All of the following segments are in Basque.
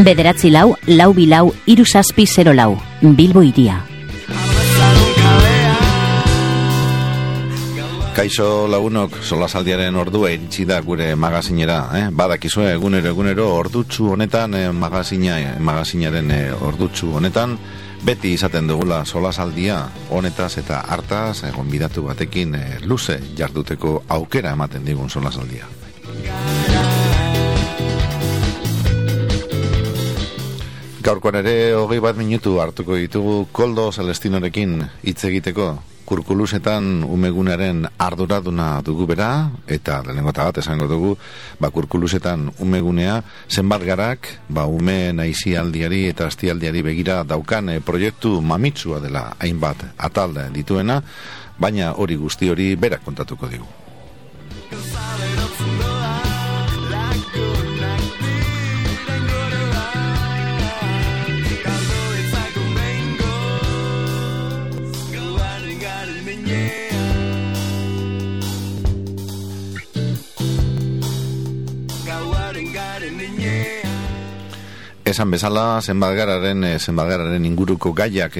Bederatzi lau, lau bilau, 3704, Bilbo hiria. Kaixo lagunok, solasaldiaren ordua iritsi da gure magazinera, Badakizue egunero ordutsu honetan, magazinaren ordutsu honetan, beti izaten dugula solasaldia honetaz eta hartaz, gonbidatu batekin luze jarduteko aukera ematen digun solasaldia. Gaurkoan ere 20 minutu hartuko ditugu Koldo Celestinorekin hitz egiteko. Kurkulusetan umegunaren arduraduna dugu bera, eta lehenengo eta bat esango dugu, kurkulusetan umegunea zenbat garak, umeen aizialdiari eta astialdiari begira daukan proiektu mamitsua dela hainbat atalde dituena, baina hori guzti hori berak kontatuko digu. Esan bezala, zenbatgararen inguruko gaiak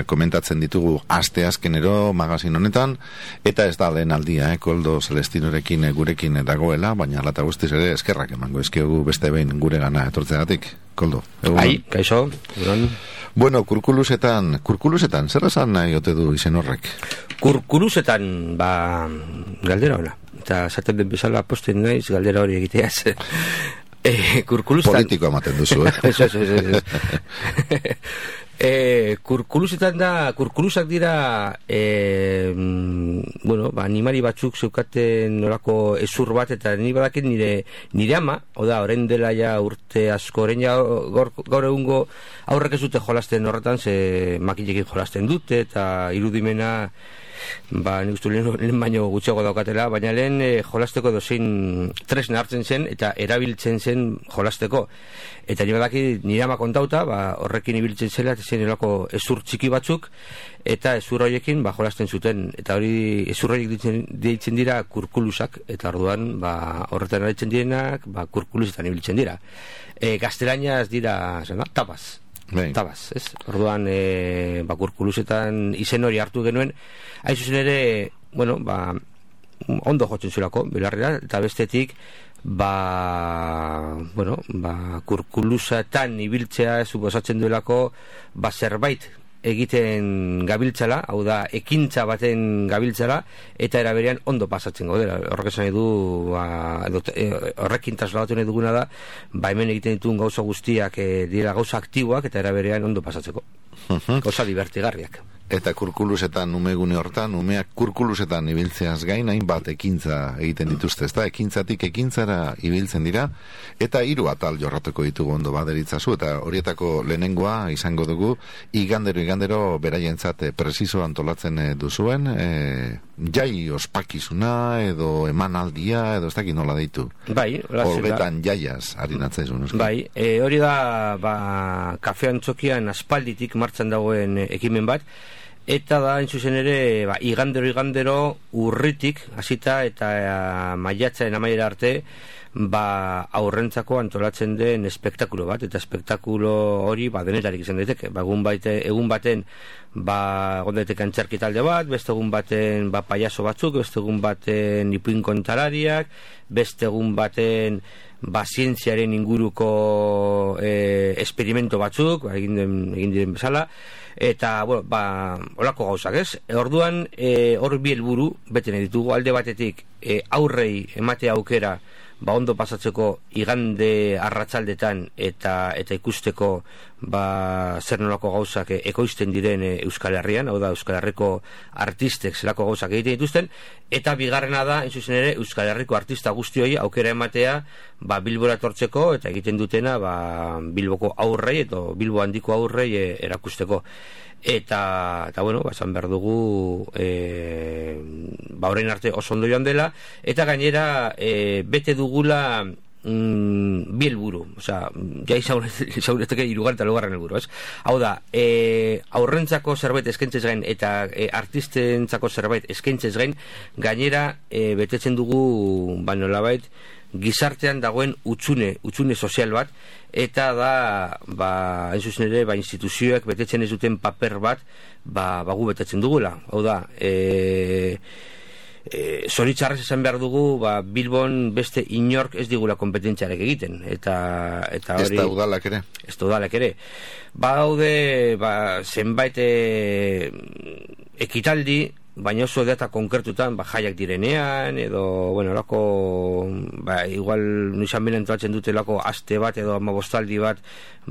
komentatzen ditugu asteazkenero magazin honetan, eta ez da lehen aldia, Koldo Celestinorekin gurekin dagoela, baina lata guztiz ere eskerrak emango ezkiogu beste behin gure gana etortzegatik. Koldo, egun? Ai, kaixo, egun. Bueno, kurkulusetan, zer esan nahi ote du izen horrek? Kurkulusetan, galdera hola, eta zaten den bezala posten naiz galdera hori egiteaz. Politiko ematen duzu, kurkulusak dira animari batzuk zeukaten nolako ezur bat, eta ni badakit nire ama, orain dela ja urte asko, orain ja gaur egungo aurrek ez dute jolasten horretan, ze makinekin jolasten dute, eta irudimena nik uste lehen baino gutxiago daukatela, baina lehen jolasteko dozein tresna hartzen zen eta erabiltzen zen jolasteko, eta nire ama kontauta horrekin ibiltzen zela, eta zen erako ezur txiki batzuk, eta ezur horiekin jolasten zuten, eta hori ezur horiek deitzen dira kurkulusak, eta orduan horretan aritzen direnak kurkulusetan ibiltzen dira. Gaztelaniaz dira tabaz. Tabaz, ez? Orduan, kurkulusetan izen hori hartu genuen, hain zuzen ere, ondo jotzen zulako, belarrera, eta bestetik, kurkulusetan ibiltzea suposatzen duelako, zerbait egiten gabiltzala, hau da, ekintza baten gabiltzala, eta eraberean ondo pasatzen gaudela. Horrek esan edu, horrekin trasladatu nahi duguna da, hemen egiten dituen gauza guztiak dira gauza aktiboak, eta eraberean ondo pasatzeko. Gauza divertigarriak. Eta kurkulusetan, umegune hortan, umeak kurkulusetan ibiltzeaz gain, hainbat ekintza egiten dituzte, ezta? Ekintzatik ekintzara ibiltzen dira, eta 3 atal jorratuko ditugu ondo baderitzazu, eta horietako lehenengoa izango dugu, igandero beraientzat presizo antolatzen duzuen, jai ospakizuna, edo emanaldia, edo ez dakit nola deitu. Horbetan jaiaz harinatzen. Hori da, kafean txokian aspalditik martxan dagoen ekimen bat, eta da, entzuzen ere, igandero urritik, hasita eta maiatzaren amaiera arte, aurrentzako antolatzen den espektakulo bat, eta espektakulo hori denetarik izan daiteke. Egun baten gondaitek antzerki talde bat, beste egun baten paiaso batzuk, beste egun baten ipuin kontalariak, beste egun baten zientziaren inguruko esperimento batzuk, egin diren bezala, eta, holako gauzak, ez? Orduan, hor bi helburu beten ditugu, alde batetik aurrei ematea aukera ondo pasatzeko igande arratsaldetan eta ikusteko zer nolako gauzak ekoizten diren Euskal Herrian, hau da Euskal Herriko artistek zelako gauzak egiten dituzten, eta bigarrena da, hain zuzen ere, Euskal Herriko artista guztioi aukera ematea Bilbora etortzeko eta egiten dutena Bilboko aurrei eta Bilbo handiko aurrei erakusteko. Eta bueno, esan behar dugu orain arte oso ondo joan dela, eta gainera bete dugula bi helburu, osea, ja izaureteke 3. eta 4. helburu, ez? Hau da, aurrentzako zerbait eskaintzez gain eta artistentzako zerbait eskaintzez gain, gainera betetzen dugu nolabait gizartean dagoen utxune sozial bat, eta da hain zuzen ere instituzioek betetzen ez duten paper bat gu betetzen dugula. Hau da, zoritxarrez esan behar dugu Bilbon beste inork ez digula kompetentziarek egiten, eta hori ez da udalak ere daude zenbait ekitaldi, baina oso data konkretutan jaiak direnean edo lako igual nizan benen entratzen dute lako aste bat edo 15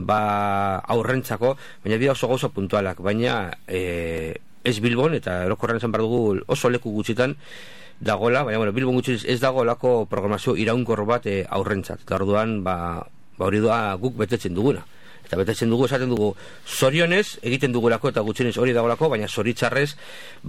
bat aurrentzako, baina dira oso gauza puntualak, baina ez Bilbon, eta erokorren esan behar dugu oso leku gutxitan dagoela, baina Bilbon gutxiz ez dago lako programazio iraunkor bat aurrentzat, eta orduan hori da guk betetzen duguna. Eta betetzen dugu, esaten dugu, zorionez egiten dugulako eta gutxienez hori dagolako, baina zoritzarrez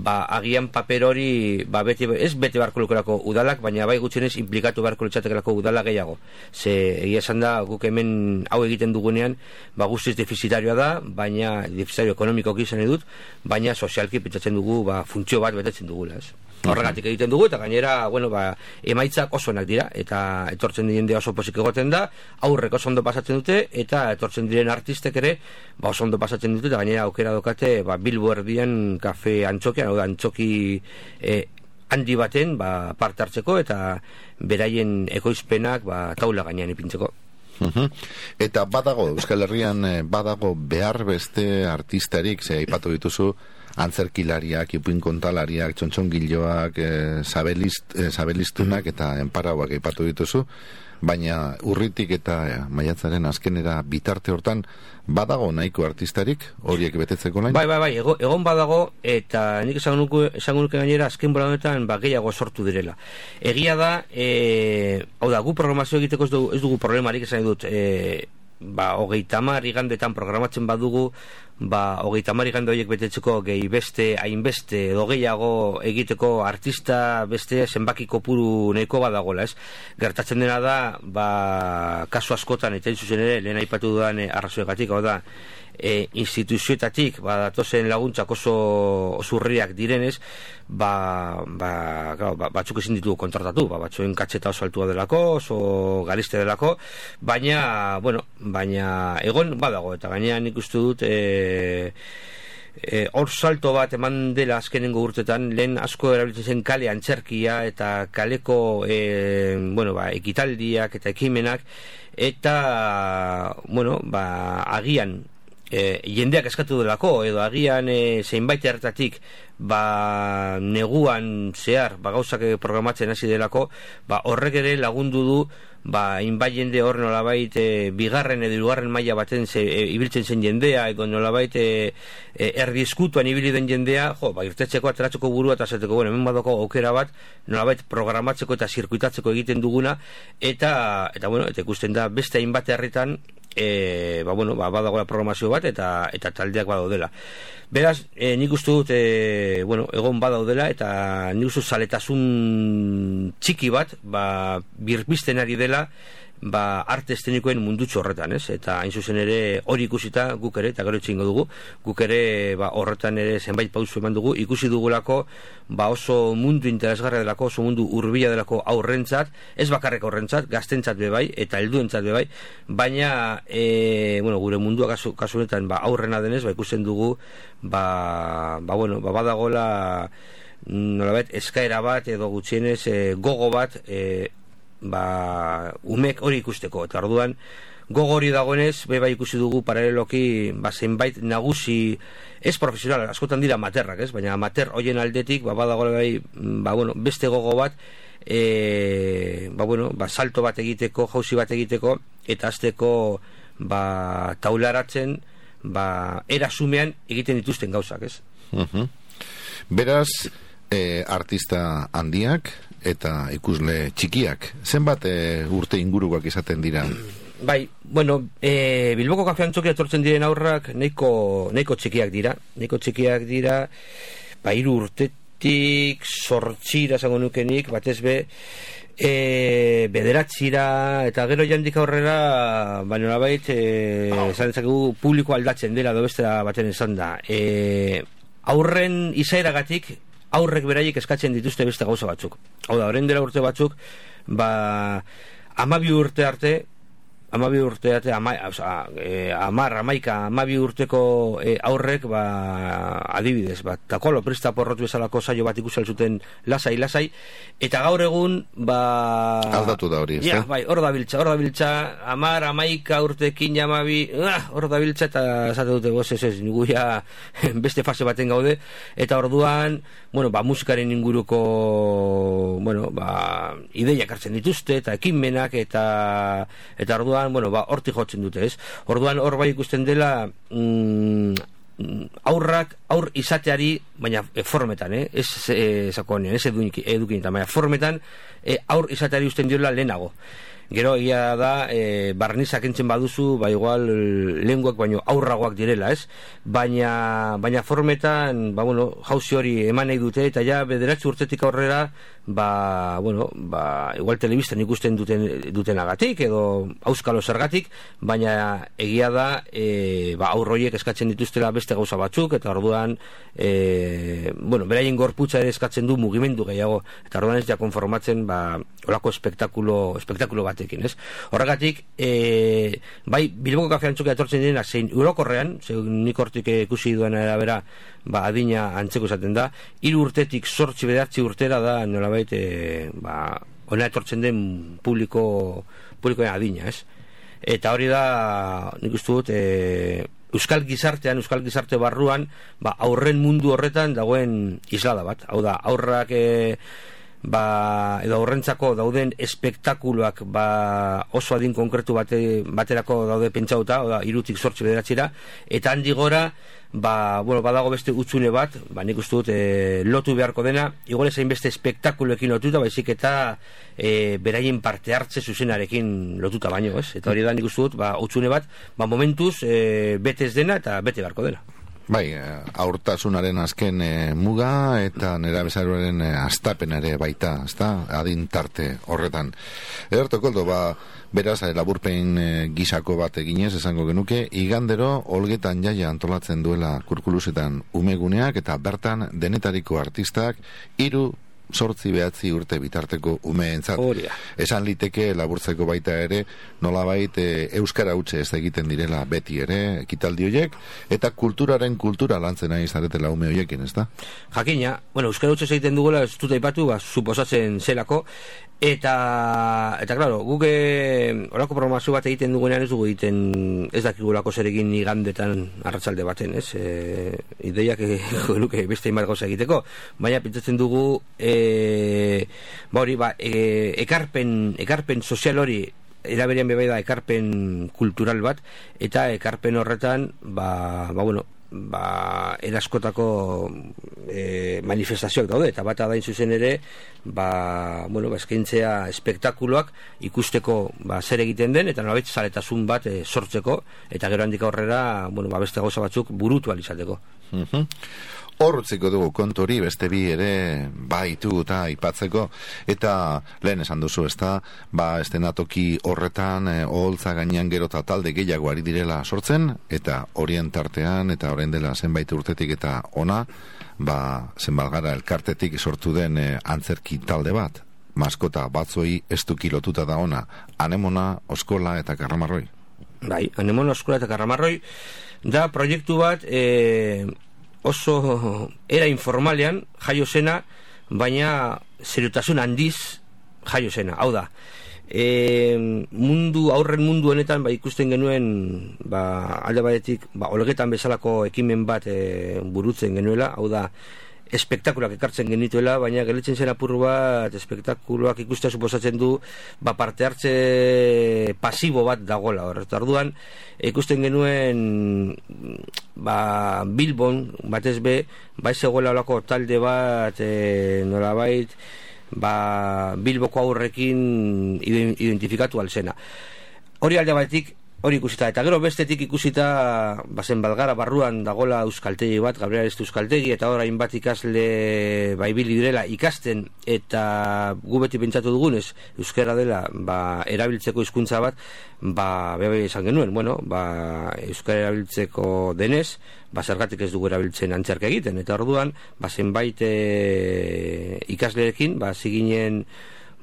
agian paper hori ez bete beharko lukelako udalak, baina bai gutxienez implikatu beharko litzatekelako udala gehiago. Ze egia esan da, guk hemen hau egiten dugunean guztiz defizitarioa da, baina defizitario ekonomikoak izan edut, baina sozialki pentsatzen dugu funtzio bat betetzen dugula, ez? Horregatik egiten dugu, eta gainera emaitzak oso onak dira, eta etortzen diren oso pozik egoten da, aurrek oso ondo pasatzen dute, eta etortzen diren artistek ere oso ondo pasatzen dute, eta gainera aukera dokate Bilbo erdian kafe antxokian, antxoki handi baten parte hartzeko, eta beraien ekoizpenak taula gainean ipintzeko. Eta badago, Euskal Herrian badago behar beste artistarik, ze aipatu dituzu antzerkilariak, ipuinkontalariak, txontxongiloak, sabelistunak eta enparauak aipatu dituzu, baina urritik eta maiatzaren azkenera bitarte hortan badago nahiko artistarik horiek betetzeko lain? Bai, egon badago, eta nik esango nuke gainera azken bola honetan gehiago sortu direla. Egia da, hau da, gu programazio egiteko ez dugu problemarik, esan dut, 30 igandetan programatzen badugu, 30 igande horiek betetzeko gehi beste, hainbeste edo gehiago egiteko artista beste zenbaki kopuru nahiko badagola, ez? Gertatzen dena da, kasu askotan, eta zuzen ere, lehen aipatu dudan arrazoegatik, hau da, instituzioetatik datozen laguntzak oso zurriak direnez, batzuk ezin ditugu kontratatu, batzuen katxeta oso altua delako, oso gariste delako, baina egon badago, eta gaina nik uste dut hor salto bat eman dela azkenengo urtetan, lehen asko erabiltzen zen kale antzerkia eta kaleko ekitaldiak eta ekimenak, eta agian jendeak eskatu delako, edo agian zeinbait hartatik neguan zehar gauzak programatzen hasi delako, horrek ere lagundu du inbait jende hor nolabait bigarren edo hirugarren maila baten ibiltzen zen jendea, edo nolabait erdieskutuan ibili den jendea, irtetzeko, ateratzeko burua eta zateko, hemen badoko aukera bat nolabait programatzeko eta zirkuitatzeko egiten duguna, eta ikusten da beste hainbat herritan badagoela programazio bat eta taldeak badaudela. Beraz, nik uste dut egon badaudela, eta nik uste zaletasun txiki bat birpizten ari dela arte eszenikoen mundutxo horretan, ez? Eta hain zuzen ere hori ikusita guk ere, eta gero itxingo dugu, guk ere horretan ere zenbait pausu eman dugu, ikusi dugulako oso mundu interesgarria delako, oso mundu hurbila delako aurrentzat, ez bakarrek aurrentzat, gaztentzat bebai, eta helduentzat bebai, baina gure mundua kasunetan aurrena denez, ikusten dugu badagola nolabait eskaera bat edo gutxienez gogo bat umek hori ikusteko, eta orduan gogo hori dagoenez bai ikusi dugu paraleloki zenbait nagusi ez profesional, askotan dira amaterrak, ez? Baina amater hoien aldetik badagoela beste gogo bat salto bat egiteko, jauzi bat egiteko, eta azteko taularatzen erasumean egiten dituzten gauzak, ez? Beraz, artista handiak eta ikusle txikiak, zenbat urte inguruak izaten dira? Bai, bueno, Bilboko Kafe Antzokia etortzen diren aurrak nahiko txikiak dira, 3 urtetik 8 esango nukenik, batez be, 9 eta gero jandik aurrera, nolabait, esan dezakegu publiko aldatzen dela, dobestera baten esan da. Aurren izaeragatik, aurrek beraiek eskatzen dituzte beste gauza batzuk. Hau da, horren dela urte batzuk, 12 urte arte, 12 urteko aurrek, adibidez, takolo presta porrotu bezalako saio bat ikusi zuten lasai, eta gaur egun, aldatu da hori, ez da? Bai, hor da biltza, 11 urtekin 12, hor da biltza, eta esate dute goz, ez, guia beste fase baten gaude, eta orduan, musikaren inguruko, ideiak hartzen dituzte, eta ekinmenak, eta orduan, hortik jotzen dute, ez? Orduan, hor bai ikusten dela aur izateari, baina formetan, ez sakonean, ez edukinetan, baina formetan aur izateari usten diola lehenago. Gero, egia da, barnizak entzen baduzu, igual lenguak baino aurragoak direla, ez? Baina formetan, jauzi hori eman nahi dute, eta ja, 9 urtetik aurrera, igual telebistan ikusten dutenagatik, edo auskalo zergatik, baina egia da, aurroiek eskatzen dituztela beste gauza batzuk, eta orduan, beraien gorputza ere eskatzen du mugimendu gehiago, eta orduan ez ja konformatzen, olako espektakulo batekin, ez? Horregatik, Bilboko Kafe Antzokia etortzen direna, zein urokorrean, nik hortik ikusi duen arabera, adina antzeko izaten da, 3 urtetik 8 urtera da, nolabait, ona etortzen den publikoen adina, ez? Eta hori da, nik uste dut, Euskal gizarte barruan, aurren mundu horretan dagoen islada bat. Hau da, aurrak edo aurrentzako dauden espektakuloak oso adin konkretu baterako daude pentsauta, 3tik 8 eta handi gora badago beste utzune bat, nik uste dut lotu beharko dena, igual ezain beste espektakuloekin lotuta, baizik eta beraien parte hartze zuzenarekin lotuta baino, ez? Eta hori da nik uste dut utzune bat, momentuz bete ez dena eta bete beharko dena. Bai, aurtasunaren azken muga eta nerabezaroaren astapen ere baita, ezta? Adin tarte horretan. Ederto Koldo, beraz, laburpen gisako bat eginez, esango genuke, igandero Olgetan Jaia antolatzen duela Kurkulusetan umeguneak, eta bertan denetariko artistak 3, 8 urte bitarteko umeentzat. Esan liteke laburtzeko baita ere, nolabait euskara hutse ez egiten direla beti ere, ekitaldi horiek, eta kulturaren kultura lantzen nahi zaretela ume horiekin, ez da? Jakina, euskara hutse egiten dugula, ez dut aipatu, suposatzen zelako, eta claro, guk horako programazio bat egiten dugunean ez dugu egiten, ez dakigulako zer egin igandetan arratsalde baten, ez? Ideiak genuke beste inbar gauza egiteko, baina pentsatzen dugu ekarpen sozial hori eraberean bebai da ekarpen kultural bat, eta ekarpen horretan eraskotako manifestazioak daude, eta bat adain zuzen ere eskaintzea espektakuloak ikusteko zer egiten den, eta nolabait zaletasun bat sortzeko, eta gero handik aurrera beste gauza batzuk burutu alizateko. Horretzeko dugu kontori, beste bi ere baitu eta aipatzeko, eta lehen esan duzu, ezta, estenatoki horretan oholtza gainean gero eta talde gehiago ari direla sortzen, eta horien tartean, eta orain dela zenbait urtetik eta ona, zenbalgara elkartetik sortu den antzerki talde bat, maskota batzoi estuki lotuta da ona, Anemona, Oskola eta Karramarroi. Bai, Anemona, Oskola eta Karramarroi da proiektu bat oso era informalean jaio zena, baina seriotasun handiz jaio zena. Hau da, aurren mundu honetan ikusten genuen alde batetik Olgetan bezalako ekimen bat burutzen genuela, hau da, espektakuloak ekartzen genituela, baina gelitzen zen apur bat espektakuloak ikustea suposatzen du parte hartze pasibo bat dagola hor. Orduan ikusten genuen Bilbon batez be bai zegoela olako talde bat nolabait Bilboko aurrekin identifikatu alzena. Hori alde batetik hori ikusita, eta gero bestetik ikusita bazen Balgara barruan dagola euskaltegi bat, Gabriel Areztu euskaltegi, eta orain bat ikasle ibili direla ikasten, eta gu beti pentsatu dugunez euskara dela erabiltzeko hizkuntza bat, bebe esan genuen, euskara erabiltzeko denez, zergatik ez dugu erabiltzen antzerka egiten, eta orduan zenbait ikasleekin ziginen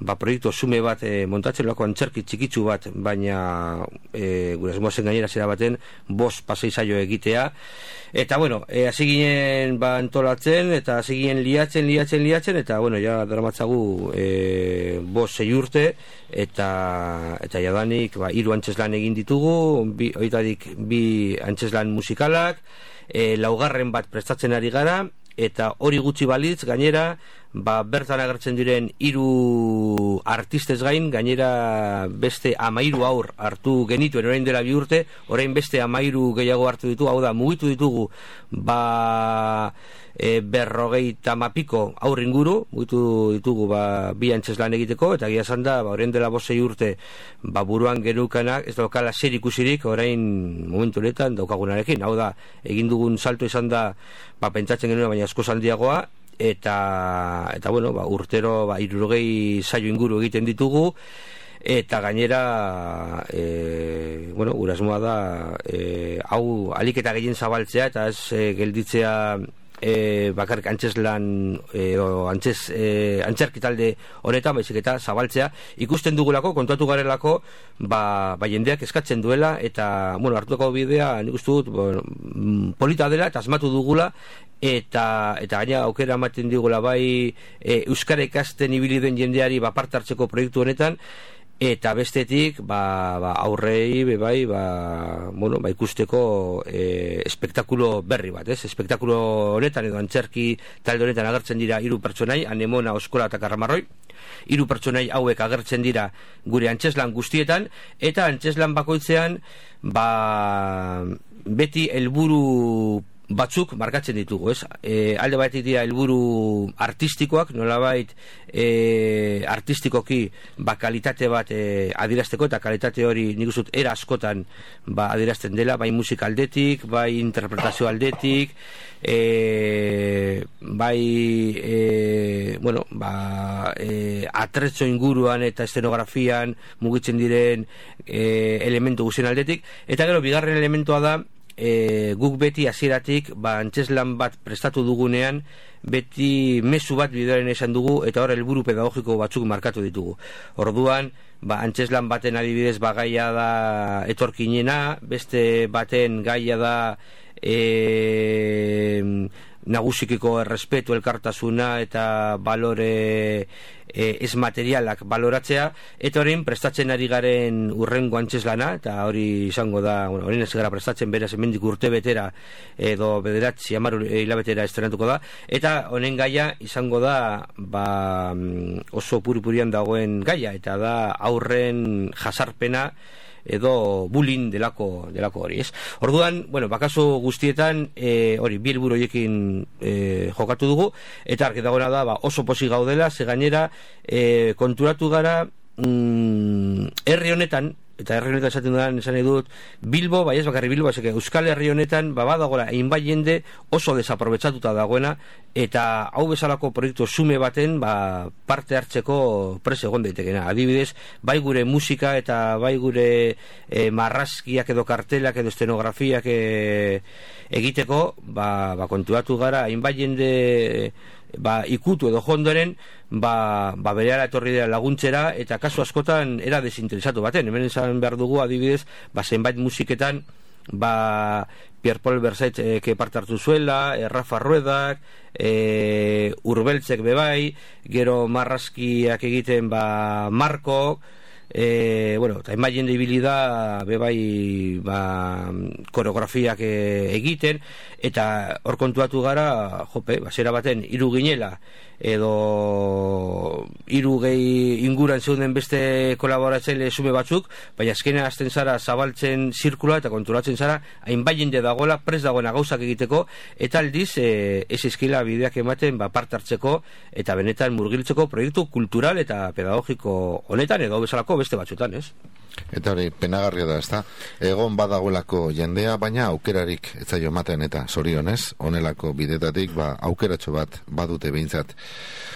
proiektu sume bat montatzen lako antzerki txikitsu bat, baina gure asmoazen gainera zera baten 5 pasei saio egitea, eta hasi ginen antolatzen, eta hasi ginen liatzen, eta ja dramatzagu 5-6 urte, eta jadanik 3 antzeslan egin ditugu, horietatik 2 antzeslan musikalak, 4. bat prestatzen ari gara, eta hori gutxi balitz gainera bertan agertzen diren 3 artistez gain gainera beste 13 aur hartu genituen orain dela 2 urte, orain beste 13 gehiago hartu ditu, hau da mugitu ditugu 50 piko aur inguru, mugitu ditugu 2 antzeslan egiteko, eta gia esan da orain dela 5-6 urte buruan genukanak ez daukala zer ikusirik orain momentu honetan daukagunarekin, hau da egin dugun salto izan da pentsatzen genuen baina asko handiagoa, eta urtero 60 saio inguru egiten ditugu, eta gainera gure asmoa da hau alik eta gehien zabaltzea, eta ez gelditzea bakarrik antzeslan antzerki talde honetan, baizik eta zabaltzea ikusten dugulako, kontatu garelako jendeak eskatzen duela, eta hartuko bidea nik uste dut polita dela eta asmatu dugula, eta gaina aukera ematen digula euskara ikasten ibili den jendeari parte hartzeko proiektu honetan, eta bestetik aurrei ikusteko espektakulo berri bat, espektakulo honetan edo antzerki talde honetan agertzen dira 3 pertsonai, Anemona, Oskola eta Karramarroi. 3 pertsonai hauek agertzen dira gure antzeslan guztietan, eta antzeslan bakoitzean beti helburu batzuk markatzen ditugu, alde batetik dira helburu artistikoak, nolabait artistikoki kalitate bat adierazteko, eta kalitate hori nik uste era askotan adierazten dela, bai musika aldetik, bai interpretazio aldetik, atretzo inguruan eta eszenografian mugitzen diren elementu guztien aldetik, eta gero bigarren elementua da guk beti hasieratik antzeslan bat prestatu dugunean beti mezu bat bidearen esan dugu, eta hor helburu pedagogiko batzuk markatu ditugu. Orduan antzeslan baten adibidez gaia da etorkinena, beste baten gaia da nagusikiko errespetu, elkartasuna eta balore ez materialak baloratzea, eta horrein prestatzen ari garen urrengo antzeslana, eta hori izango da, horrein ez gara prestatzen beraz hemendik urte betera edo 9-10 hilabetera estrenatuko da, eta honen gaia izango da oso puripurian dagoen gaia, eta da aurren jasarpena edo bullying delako hori, Orduan, bakaso guztietan hori 2 helburu horiekin jokatu dugu, eta argi dagoena da oso pozik gaudela, ze gainera konturatu gara herri honetan, eta herri honetan esaten dudan esan dut Bilbo, ez bakarri Bilbo, Euskal Herri honetan badagoela hainbat jende oso desaprobetxatuta dagoena, eta hau bezalako proiektu sume baten parte hartzeko prese egon daitekena. Adibidez, bai gure musika eta bai gure marrazkiak edo kartelak edo estenografiak egiteko kontuatu gara hainbat jende ikutu edo jondoren berehala etorri dira laguntzera, eta kasu askotan era desinteresatu baten. Hemen esan behar dugu adibidez zenbait musiketan Pierre Paul Versait parte hartu zuela, Rafa Ruedak, Urbeltzek bebai, gero marrazkiak egiten Marko, bueno, eta enbai jende ibili da bebai koreografiak egiten, eta hor kontuatu gara, jope, zera baten hiru ginela edo hiru gehi inguran zeuden beste kolaboratzaile sume batzuk, baina azkenean hasten zara zabaltzen zirkula eta konturatzen zara hainbat jende dagoela prest dagoena gauzak egiteko, eta aldiz ez izkila bideak ematen parte hartzeko eta benetan murgiltzeko proiektu kultural eta pedagogiko honetan edo bezalako beste batzutan, ez? Eta hori, penagarria da, ezta? Egon badagoelako jendea, baina aukerarik ez zaio ematen eta zorionez, honelako bidetatik, aukeratxo bat badute behintzat.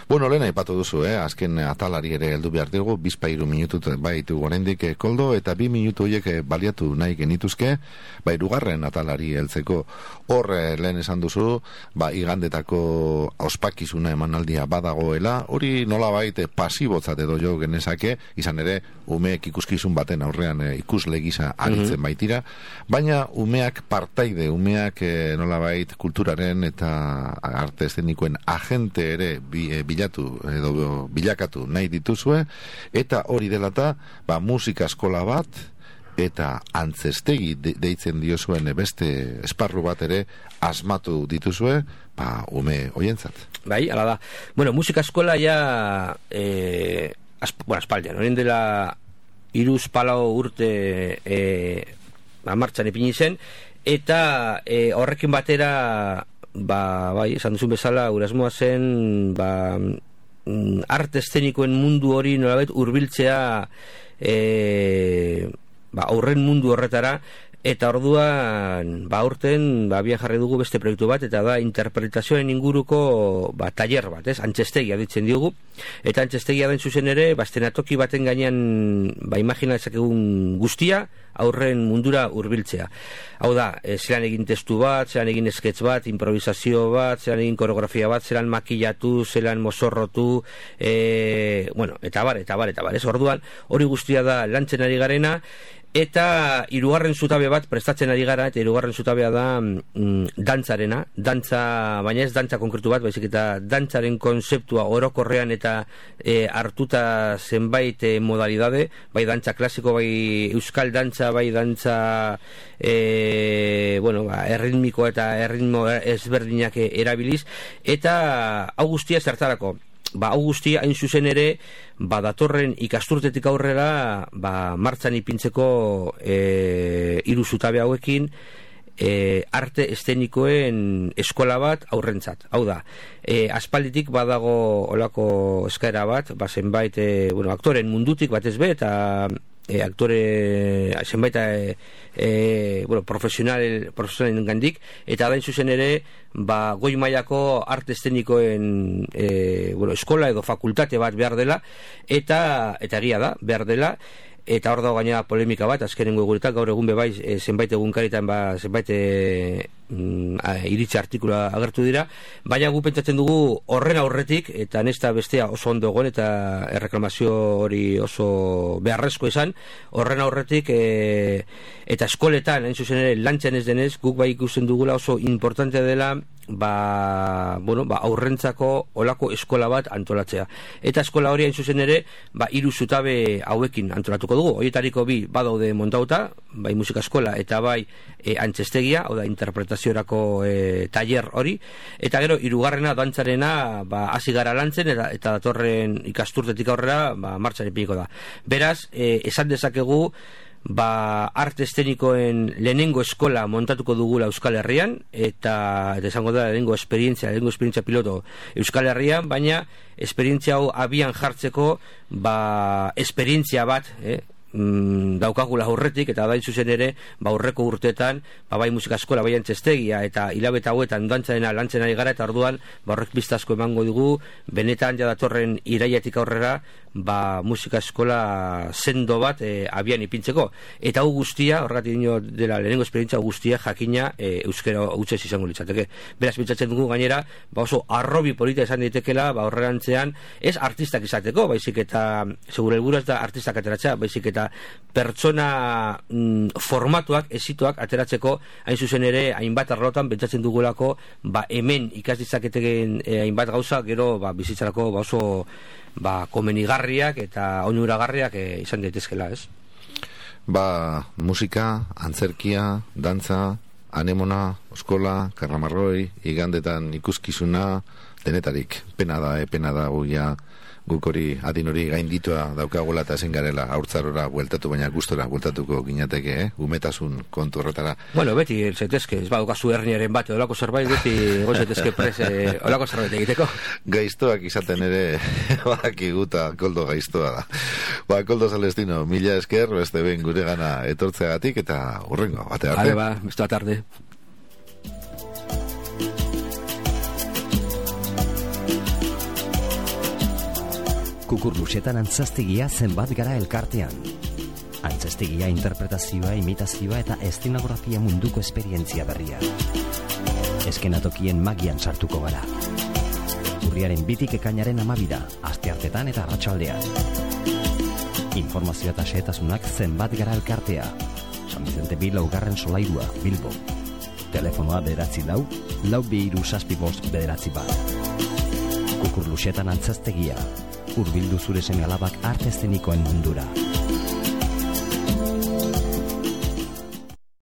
Bueno, lehen aipatu duzu, azken atalari ere heldu behar dugu, 2 minutu baitu gorendik koldo, eta 2 minutu horiek baliatu nahi genituzke, hirugarren atalari heltzeko. Hor, lehen esan duzu, igandetako ospakizuna emanaldia badagoela, hori nolabait pasibotzat edo jo genezake, izan ere, umeek ikuskizun baten aurrean ikusle gisa aritzen baitira, baina umeak partaide, umeak nolabait kulturaren eta arte eszenikoen agente ere bilatu edo bilakatu nahi dituzue, eta hori delata musika eskola bat eta antzestegi deitzen diozuen beste esparru bat ere asmatu dituzue ume hoientzat. Bai, ala da. Bueno, musika eskola ja aspaldian, horien dela 3-4 urte martxan ipini zen, eta horrekin batera esan duzun bezala gure asmoa zen arte eszenikoen mundu hori nolabait hurbiltzea aurren mundu horretara, eta orduan aurten abian jarri dugu beste proiektu bat, eta da interpretazioen inguruko taller bat, antzestegia ditzen diogu, eta antzestegia den zuzen ere estenatoki baten gainean imagina dezakegun guztia aurren mundura hurbiltzea. Hau da, zelan egin testu bat, zelan egin sketch bat, improvisazio bat, zelan egin koreografia bat, zelan makillatu, zelan mozorrotu, eta bar. Orduan, hori guztia da lantzen ari garena, eta hirugarren zutabe bat prestatzen ari gara, eta hirugarren zutabea da dantzarena, baina ez dantza konkretu bat, baizik eta dantzaren konzeptua orokorrean eta hartuta zenbait modalidade, bai dantza klasiko, bai euskal dantza, bai dantza erritmiko eta erritmo ezberdinak erabiliz, eta hau guztia zertarako. Hau guztia hain zuzen ere datorren ikasturtetik aurrera martxan ipintzeko 3 zutabe hauekin arte eszenikoen eskola bat aurrentzat. Hau da, aspalditik badago olako eskaera bat, zenbait aktoren mundutik batez be, eta zenbait profesionalen gandik, eta da zuzen ere goi mailako arte eszenikoen eskola edo fakultate bat behar dela, eta egia da, behar dela, eta hor dago gainera polemika bat, azkenengo egunetan, gaur egun bebai zenbait egunkaritan zenbait iritzi artikula agertu dira, baina gu pentsatzen dugu horren aurretik, eta nesta bestea oso ondo egon, eta erreklamazio hori oso beharrezko izan, horren aurretik eta eskoletan, hain zuzen ere, lantzen ez denez, guk bai ikusten dugula oso importante dela aurrentzako olako eskola bat antolatzea. Eta eskola hori hain zuzen ere 3 zutabe hauekin antolatuko dugu. Horietariko 2 badaude montauta, bai musika eskola eta bai antzestegia, hau da interpretaziorako taller hori, eta gero hirugarrena dantzarena hasi gara lantzen, eta datorren ikasturtetik aurrera martxan ipiniko da. Beraz, esan dezakegu arte eszenikoen lehenengo eskola montatuko dugula Euskal Herrian, eta esango da lehenengo esperientzia piloto Euskal Herrian, baina esperientzia hau abian jartzeko esperientzia bat daukagula aurretik, eta da zuzen ere aurreko urteetan bai musika eskola, bai antzestegia, eta hilabete hauetan dantzarena lantzen ari gara, eta orduan horrek biztazko emango dugu benetan datorren irailetik aurrera musika eskola sendo bat abian ipintzeko, eta hau guztia, horregatik dino dela lehenengo esperientzia guztia jakina euskera hutsez izango litzateke. Beraz pentsatzen dugu gainera oso arrobi polita izan daitekela horrerantzean ez artistak izateko, baizik eta segure helburua ez da artistak ateratzea, baizik eta eta pertsona formatuak, esituak ateratzeko, hain zuzen ere, hainbat arlotan pentsatzen dugulako, hemen ikas ditzaketen hainbat gauza, gero bizitzarako oso komenigarriak eta onuragarriak izan daitezkela, ez? Musika, antzerkia, dantza, anemona, oskola, karramarroi, igandetan ikuskizuna, denetarik, pena da guk hori adin hori gainditua daukagula eta ezin garela haurtzarora bueltatu, baina gustora bueltatuko ginateke, umetasun kontu horretara. Bueno, beti zetezke, ez badukazu herniaren bat, olako zerbait, beti gozetezke prese, olako zerbait egiteko. Gaiztoak izaten ere, bakiguta, Koldo gaiztoa da. Koldo Celestino, mila esker, beste behin gure gana etortzeagatik, eta hurrengo, bate arte. Beste bat arte. Kukurlusetan antzaztegia zenbat gara elkartean. Antzaztegia interpretazioa, imitazioa eta eszenografia munduko esperientzia berria. Eskenatokien magian sartuko gara. Urriaren 2 ekainaren 12, asteartetan eta arratsaldean. Informazioa eta xehetasunak zenbat gara elkartea. San Vicente 2 laugarren solairua, Bilbo. Telefonoa 94 427 991. Kukurlusetan antzaztegia. Urbildu zure seme alabak arte eszenikoen mundura.